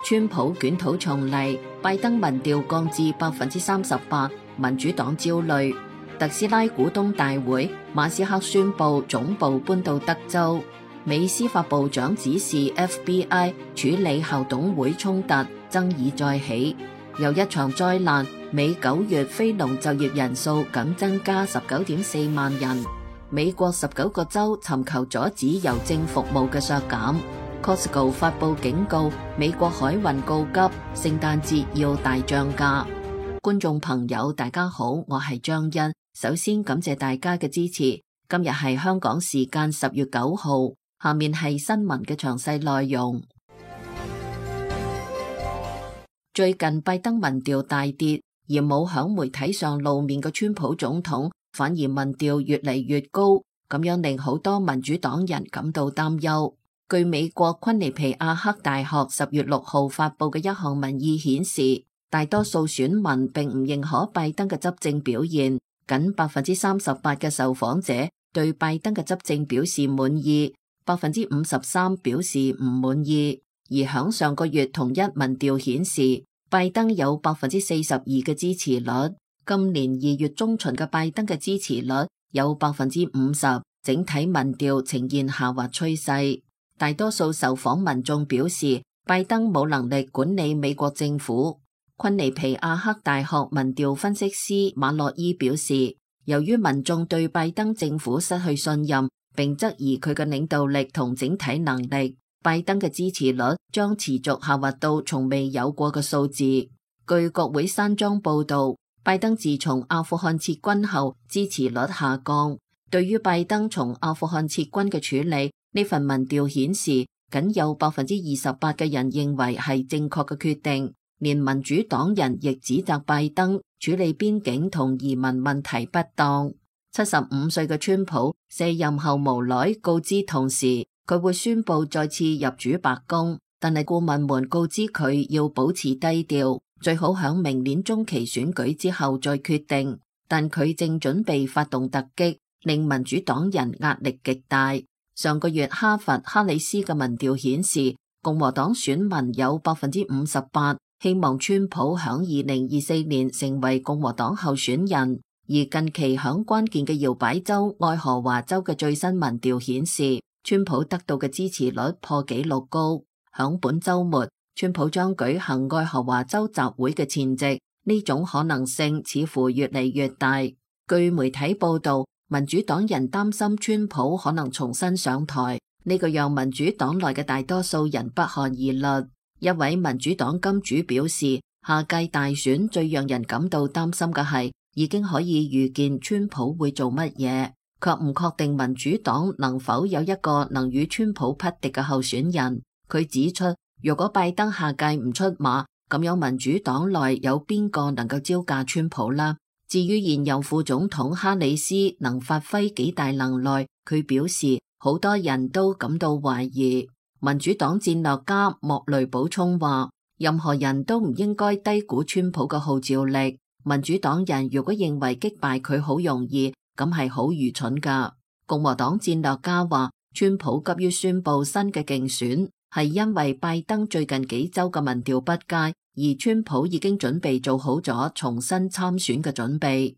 川普捲土重嚟，拜登民調降至38%，民主黨焦慮。特斯拉股東大會，馬斯克宣布總部搬到德州。美司法部長指示 FBI 處理校董會衝突，爭議再起。又一場災難，美9月非農就業人數僅增加19.4萬人。美國19個州尋求阻止郵政服務嘅削減。Costco 發佈警告，美國海運告急，聖誕節要大漲價。觀眾朋友大家好，我係張欣，首先感謝大家嘅支持。今日係香港時間10月9號，下面係新聞嘅詳細內容。最近拜登民調大跌，而冇響媒體上露面嘅川普總統反而民調越嚟越高，咁樣令好多民主黨人感到擔憂。據美國昆尼皮亞克大學10月6號發佈嘅一項民意顯示，大多數選民並唔認可拜登嘅執政表現，僅38%嘅受訪者對拜登嘅執政表示滿意，53%表示唔滿意。而響上個月同一民調顯示，拜登有42%嘅支持率，今年2月中旬嘅拜登嘅支持率有50%，整體民調呈現下滑趨勢。大多數受訪民眾表示，拜登冇能力管理美國政府。昆尼皮亞克大學民調分析師馬洛伊表示，由於民眾對拜登政府失去信任，並質疑佢嘅領導力同整體能力，拜登嘅支持率將持續下滑到從未有過嘅數字。據國會山莊報道，拜登自從阿富汗撤軍後，支持率下降。對於拜登從阿富汗撤軍嘅處理，呢份民調顯示，僅有28%嘅人認為係正確嘅決定。連民主黨人亦指責拜登處理邊境同移民問題不當。75歲嘅川普卸任後無奈告知同事，佢會宣布再次入主白宮，但係顧問們告知佢要保持低調，最好響明年中期選舉之後再決定。但佢正準備發動突擊，令民主黨人壓力極大。上個月哈佛哈里斯嘅民調顯示，共和黨選民有58%希望川普響2024年成為共和黨候選人。而近期響關鍵嘅搖擺州愛荷華州嘅最新民調顯示，川普得到嘅支持率破紀錄高。響本週末，川普將舉行愛荷華州集會嘅前夕，呢種可能性似乎越嚟越大。據媒體報道，民主黨人擔心川普可能重新上台，呢個讓民主黨內嘅大多數人不寒而慄。一位民主黨金主表示，下屆大選最讓人感到擔心嘅係，已經可以預見川普會做乜嘢，卻唔確定民主黨能否有一個能與川普匹敵嘅候選人。佢指出，如果拜登下屆唔出馬，咁樣民主黨內有邊個能夠招架川普啦？至於現任副總統哈里斯能發揮幾大能耐，佢表示好多人都感到懷疑。民主黨戰略家莫雷補充話，任何人都唔應該低估川普嘅號召力。民主黨人如果認為擊敗佢好容易，咁係好愚蠢㗎。共和黨戰略家話，川普急於宣布新嘅競選，係因為拜登最近幾週嘅民調不佳，而川普已經準備做好咗重新參選嘅準備。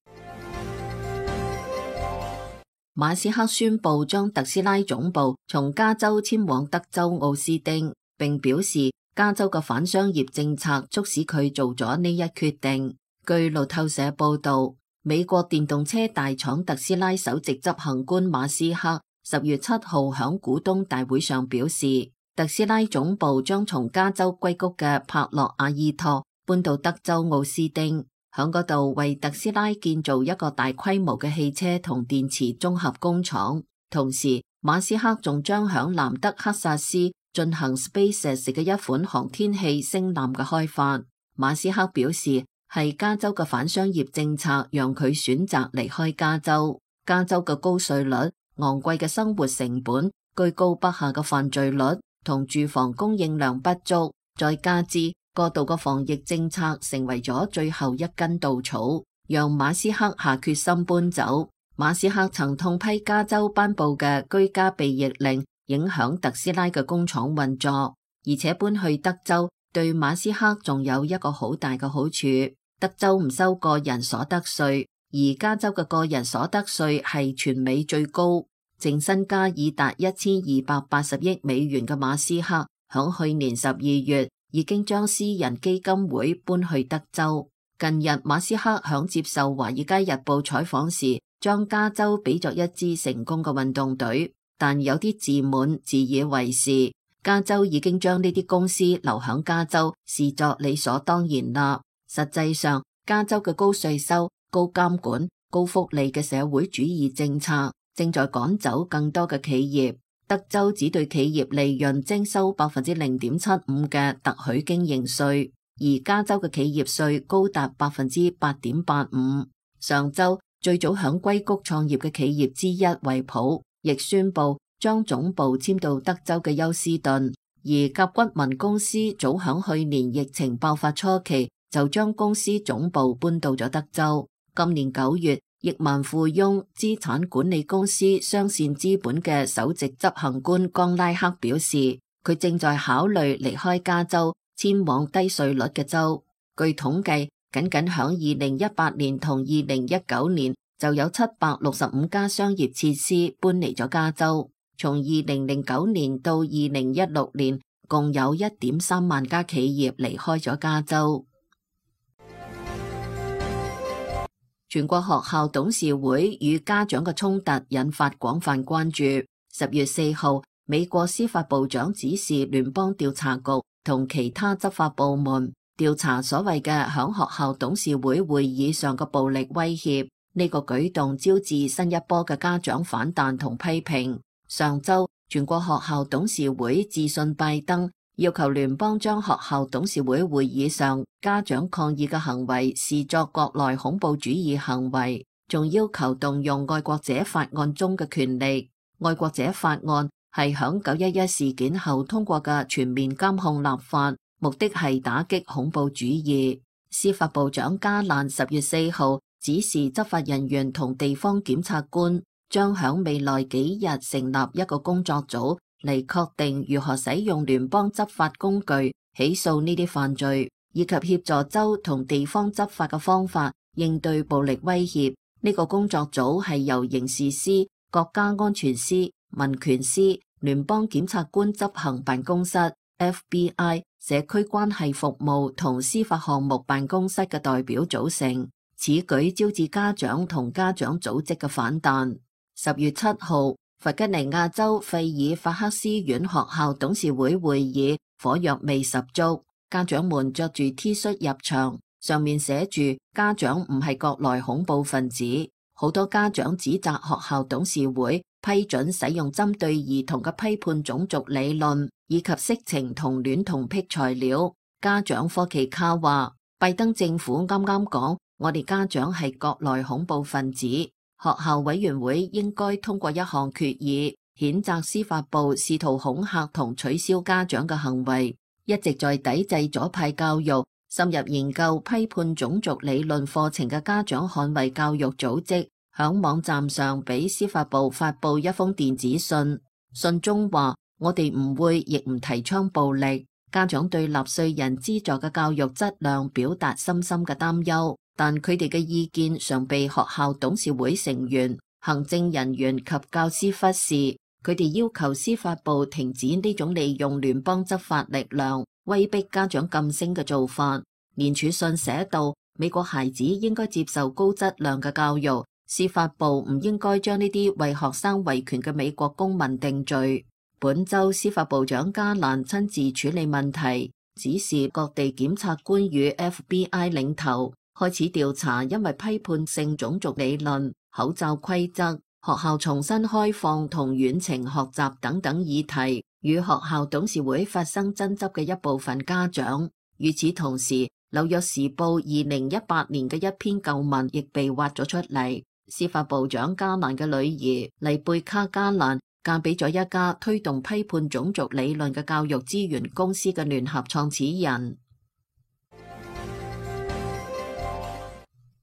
馬斯克宣布將特斯拉總部從加州遷往德州奧斯丁，並表示加州嘅反商業政策促使佢做咗呢一決定。據路透社報道，美國電動車大廠特斯拉首席執行官馬斯克10月7號響股東大會上表示，特斯拉總部將從加州硅谷嘅帕洛阿爾托搬到德州奧斯丁，響嗰度為特斯拉建造一個大規模嘅汽車同電池綜合工廠。同時，馬斯克仲將響南德克薩斯進行 SpaceX 嘅一款航天器星艦嘅開發。馬斯克表示，係加州嘅反商業政策讓佢選擇離開加州。加州嘅高稅率、昂貴嘅生活成本、居高不下嘅犯罪率同住房供應量不足，再加之過度嘅防疫政策成為咗最後一根稻草，讓馬斯克下決心搬走。馬斯克曾痛批加州頒布嘅居家避疫令影響特斯拉嘅工廠運作，而且搬去德州對馬斯克仲有一個好大嘅好處，德州唔收個人所得稅，而加州嘅個人所得稅係全美最高。淨身家已達1280億美元嘅馬斯克，響去年12月已經將私人基金會搬去德州。近日馬斯克響接受華爾街日報採訪時，將加州比作一支成功嘅運動隊，但有啲自滿自以為是。加州已經將呢啲公司留響加州視作理所當然啦。實際上，加州嘅高稅收、高監管、高福利嘅社會主義政策正在趕走更多嘅企業。德州只對企業利潤徵收0.75%嘅特許經營稅，而加州嘅企業稅高達8.85%。上周最早響硅谷創業嘅企業之一惠普亦宣布將總部遷到德州嘅休斯頓，而甲骨文公司早響去年疫情爆發初期就將公司總部搬到咗德州。今年9月，億萬富翁資產管理公司雙線資本嘅首席執行官江拉克表示，佢正在考慮離開加州，遷往低稅率嘅州。據統計，僅響2018年同2019年就有765家商業設施搬離咗加州。從2009年到2016年，共有1.3萬家企業離開咗加州。全國學校董事會與家長嘅衝突引發廣泛關注。10月4號，美國司法部長指示聯邦調查局同其他執法部門調查所謂嘅響學校董事會會議上嘅暴力威脅。呢個舉動招致新一波嘅家長反彈同批評。上周，全國學校董事會致信拜登，要求聯邦將學校董事會會議上家長抗議嘅行為視作國內恐怖主義行為，仲要求動用愛國者法案中嘅權力。愛國者法案係響911事件後通過嘅全面監控立法，目的係打擊恐怖主義。司法部長加蘭10月4號指示執法人員同地方檢察官將響未來幾日成立一個工作組嚟確定如何使用聯邦執法工具起訴呢啲犯罪，以及協助州同地方執法嘅方法應對暴力威脅。呢個工作組係由刑事司、國家安全司、民權司、聯邦檢察官執行辦公室、FBI、社區關係服務同司法項目辦公室嘅代表組成。此舉招致家長同家長組織嘅反彈。10月7號，弗吉尼亞州費爾法克斯縣學校董事會會議火藥味十足，家長們着住 T 恤入場，上面寫住家長唔係國內恐怖分子。好多家長指責學校董事會批准使用針對兒童嘅批判種族理論以及色情同戀童癖材料。家長科奇卡話，拜登政府啱啱講，我哋家長係國內恐怖分子。學校委員會應該通過一項決議，譴責司法部試圖恐嚇同取消家長嘅行為。一直在抵制左派教育、深入研究批判種族理論課程嘅家長捍衛教育組織，響網站上俾司法部發布一封電子信，信中話：我哋唔會亦唔提倡暴力。家長對納稅人資助嘅教育質量表達深深嘅擔憂。但佢哋嘅意見常被學校董事會成員、行政人員及教師忽視。佢哋要求司法部停止呢種利用聯邦執法力量威逼家長噤聲嘅做法。連署信寫道：美國孩子應該接受高質量嘅教育，司法部唔應該將呢啲為學生維權嘅美國公民定罪。本週司法部長加蘭親自處理問題，指示各地檢察官與 FBI 領頭開始調查，因為批判性種族理論、口罩規則、學校重新開放同遠程學習等等議題，與學校董事會發生爭執嘅一部分家長。與此同時，紐約時報2018年嘅一篇舊文亦被挖咗出嚟。司法部長加蘭嘅女兒麗貝卡加蘭嫁俾咗一家推動批判種族理論嘅教育資源公司嘅聯合創始人。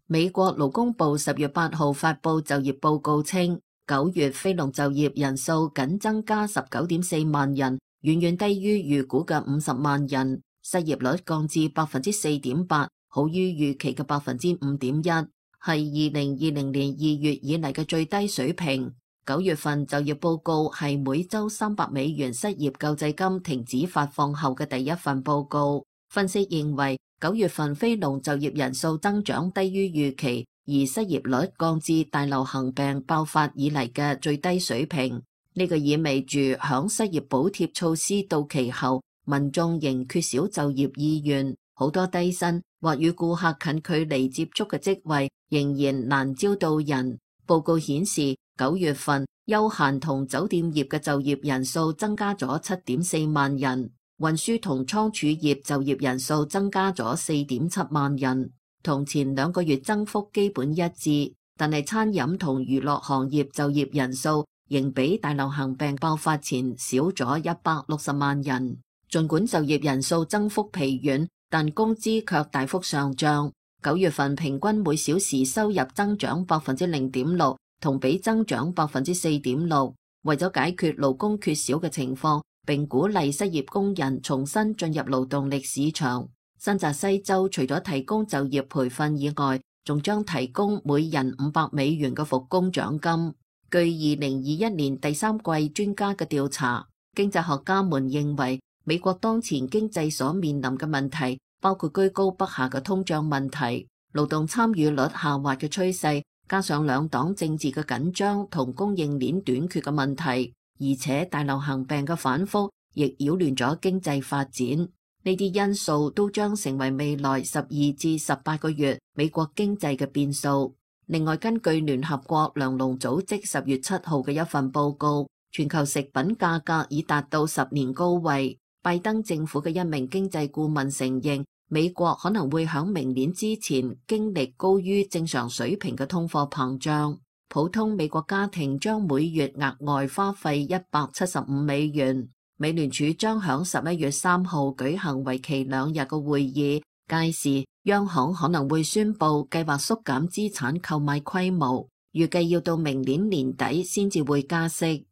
美國勞工部10月8號發布就業報告稱，9月非農就業人數僅增加19.4萬人，遠遠低於預估嘅50萬人。失業率降至 4.8%， 好於預期嘅 5.1%， 係2020年2月以嚟嘅最低水平。9月份就業報告係每週$300失業救濟金停止發放後嘅第一份報告。分析認為9月份非農就業人數增長低於預期，而失業率降至大流行病爆發以嚟嘅最低水平。呢個意味住響失業補貼措施到期後，民眾仍缺少就業意願，好多低薪或與顧客近距離接觸嘅職位仍然難招到人。報告顯示9月份休閒同酒店業嘅就業人數增加咗 7.4 萬人，運輸同倉儲業就業人數增加咗 4.7 萬人，同前2個月增幅基本一致。但係餐飲同娛樂行業就業人數仍比大流行病爆發前少咗160萬人。儘管就業人數增幅疲軟，但工資卻大幅上漲。9月份平均每小時收入增長 0.6%， 同比增長 4.6%。為咗解決勞工缺少嘅情況，並鼓勵失業工人重新進入勞動力市場，新澤西州除咗提供就業培訓以外，仲將提供每人$500嘅復工獎金。據2021年第3季專家嘅調查，經濟學家們認為美國當前經濟所面臨嘅問題包括居高不下嘅通脹問題、勞動參與率下滑嘅趨勢，加上兩黨政治嘅緊張同供應鏈短缺嘅問題，而且大流行病嘅反覆亦擾亂咗經濟發展。呢啲因素都將成為未來12至18個月美國經濟嘅變數。另外，根據聯合國糧農組織10月7號嘅一份報告，全球食品價格已達到10年高位。拜登政府嘅一名經濟顧問承認，美國可能會喺明年之前經歷高於正常水平嘅通貨膨脹。普通美國家庭將每月額外花費$175。美聯儲將喺11月3號舉行為期2日嘅會議，屆時央行可能會宣布計劃縮減資產購買規模，預計要到明年年底先至會加息。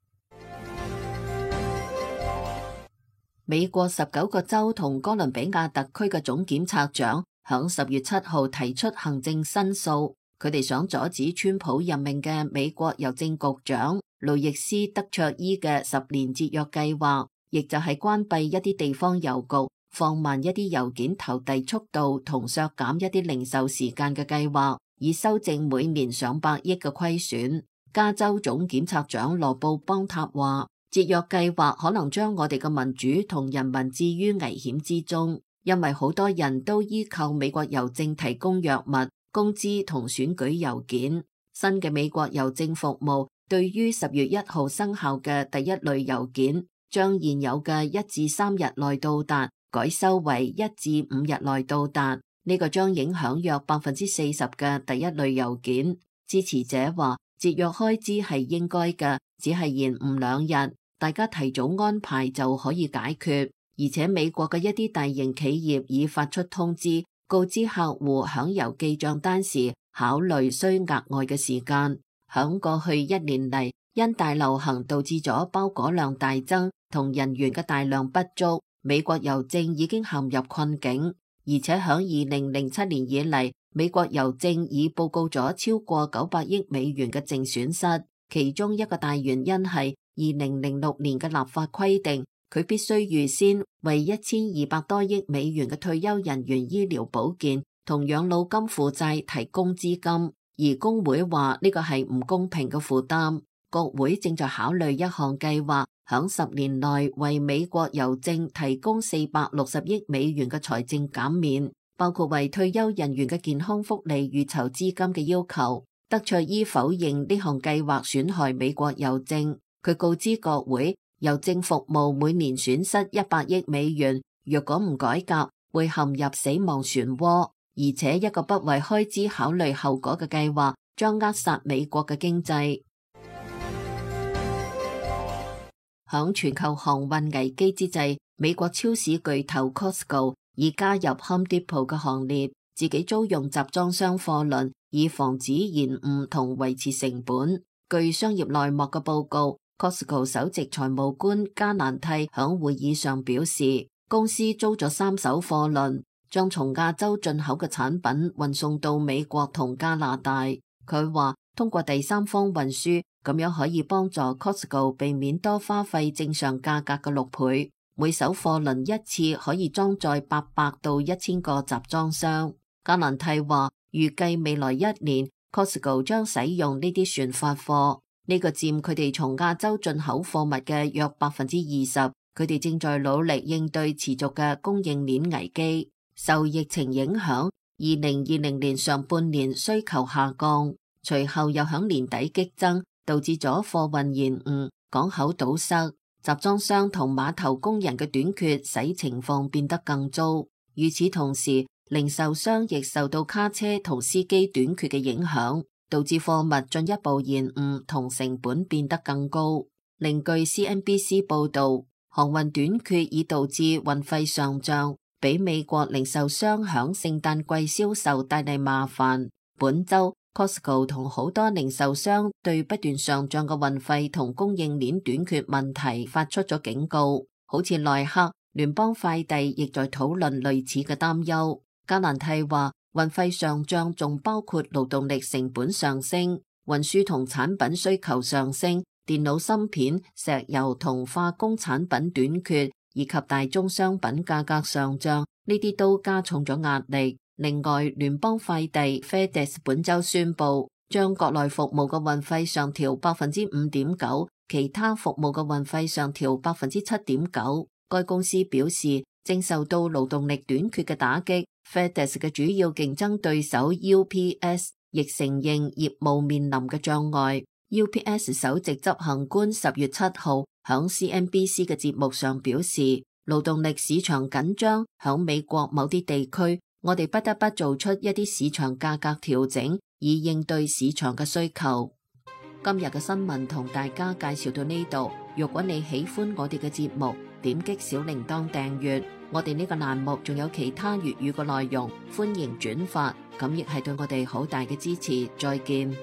美國19個州同哥倫比亞特區嘅總檢察長響10月7號提出行政申訴，佢哋想阻止川普任命嘅美國郵政局長路易斯·德卓伊嘅10年節約計劃，亦就係關閉一啲地方郵局、放慢一啲郵件投遞速度同削減一啲零售時間嘅計劃，以修正每年上百億嘅虧損。加州總檢察長羅布邦塔話，節約計劃可能將我哋嘅民主同人民置於危險之中，因為好多人都依靠美國郵政提供藥物、工資同選舉郵件。新嘅美國郵政服務對於10月1號生效嘅第一類郵件，將現有嘅1至3日內到達，改修為1至5日內到達。呢個將影響約 40% 嘅第一類郵件。支持者話，節約開支係應該嘅，只係延誤2日。大家提早安排就可以解決，而且美國嘅一啲大型企業已發出通知，告知客戶響郵寄賬單時考慮需額外嘅時間。響過去1年嚟，因大流行導致咗包裹量大增同人員嘅大量不足，美國郵政已經陷入困境。而且響2007年以嚟，美國郵政已報告咗超過900億美元嘅淨損失，其中一個大原因係2006年嘅立法規定，佢必須預先為1200多億美元嘅退休人員醫療保健同養老金負債提供資金，而工會話呢個係唔公平嘅負擔。國會正在考慮一項計劃，響10年內為美國郵政提供460億美元嘅財政減免，包括為退休人員嘅健康福利預籌資金嘅要求。德卓伊否認呢項計劃損害美國郵政。佢告知國會，郵政服務每年損失100億美元，若果唔改革，會陷入死亡漩渦。而且一個不為開支考慮後果嘅計劃，將扼殺美國嘅經濟。響全球航運危機之際，美國超市巨頭 Costco 已加入 Home Depot 嘅行列，自己租用集裝箱貨輪，以防止延誤同維持成本。據商業內幕嘅報告，Costco 首席財務官加蘭蒂響會議上表示，公司租咗3艘貨輪，將從亞洲進口嘅產品運送到美國同加拿大。佢話通過第三方運輸，咁樣可以幫助 Costco 避免多花費正常價格嘅6倍。每艘貨輪一次可以裝載800到1000個集裝箱。格蘭蒂話預計未來1年 Costco 將使用呢啲船發貨，呢個佔佢哋從亞洲進口貨物嘅約20%。佢哋正在努力應對持續嘅供應鏈危機。受疫情影響，2020年上半年需求下降，隨後又響年底激增，導致咗貨運延誤、港口堵塞、集裝箱同碼頭工人嘅短缺，使情況變得更糟。與此同時，零售商亦受到卡車同司機短缺嘅影響，導致貨物進一步延誤同成本變得更高。另據 CNBC 報導，航運短缺已導致運費上漲，俾美國零售商響聖誕季銷售帶嚟麻煩。本週 Costco 同好多零售商對不斷上漲嘅運費同供應鏈短缺問題發出咗警告，好似耐克、聯邦快遞亦在討論類似嘅擔憂。格蘭蒂話運費上漲仲包括勞動力成本上升、運輸同產品需求上升、電腦芯片、石油同化工產品短缺，以及大宗商品價格上漲，呢啲都加重咗壓力。另外，聯邦快遞 FedEx 本週宣布將國內服務嘅運費上調 5.9%， 其他服務嘅運費上調 7.9%。該公司表示正受到勞動力短缺嘅打擊。FedEx 嘅主要競爭對手 UPS 亦承認業務面臨嘅障礙。UPS 首席執行官10月7號響 CNBC 嘅節目上表示，勞動力市場緊張，響美國某啲地區，我哋不得不做出一啲市場價格調整，以應對市場嘅需求。今日嘅新聞同大家介紹到呢度。如果你喜歡我哋嘅節目，點擊小鈴鐺訂閱。我哋呢個欄目仲有其他粵語嘅內容，歡迎轉發，咁亦係對我哋好大嘅支持。再見。